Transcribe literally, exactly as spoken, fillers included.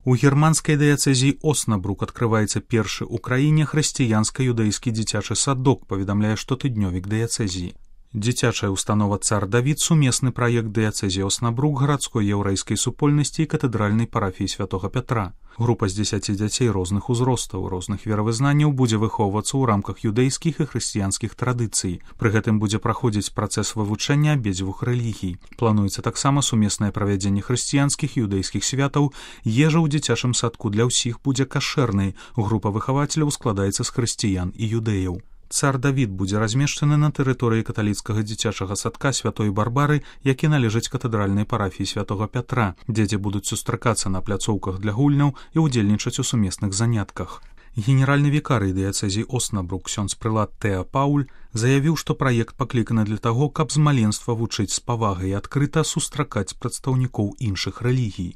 У германскай дыяцэзіі Оснабрук адкрываецца першы ў краіне хрысціянска-юдэйскі дзіцячы садок, паведамляе штотыднёвік дыяцэзіі. Дзіцячая установа «Цар Давід» — сумесны праект дыяцэзіі Оснабрук, гарадской яўрэйскай супольнасці і катэдральнай парафіі святога Пятра. Група з дзесяці дзяцей розных узростаў, розных веравызнанняў будзе выхоўвацца ў рамках юдэйскіх і хрысціянскіх традыцый. Пры гэтым будзе праходзіць працэс вывучэння абедзвюх рэлігій. Плануецца таксама сумеснае правядзенне хрысціянскіх і юдэйскіх святаў. Ежа ў дзіцячым садку для ўсіх будзе кашэрнай. Група выхавацеляў складаецца з хрысціян і юдэяў. «Цар Давід» будзе размешчаны на тэрыторыі каталіцкага дзіцячага садка святой Барбары, які належыць катэдральнай парафіі святога Пятра. Дзеці будуць сустракацца на пляцоўках для гульняў і ўдзельнічаць у сумесных занятках. Генеральны вікарый дыяцэзіі Оснабрук ксёндз прылад Тэа Пауль заявіў, што праект пакліканы для таго, каб з маленства вучыць з павагай і адкрыта сустракаць прадстаўнікоў іншых рэлігій.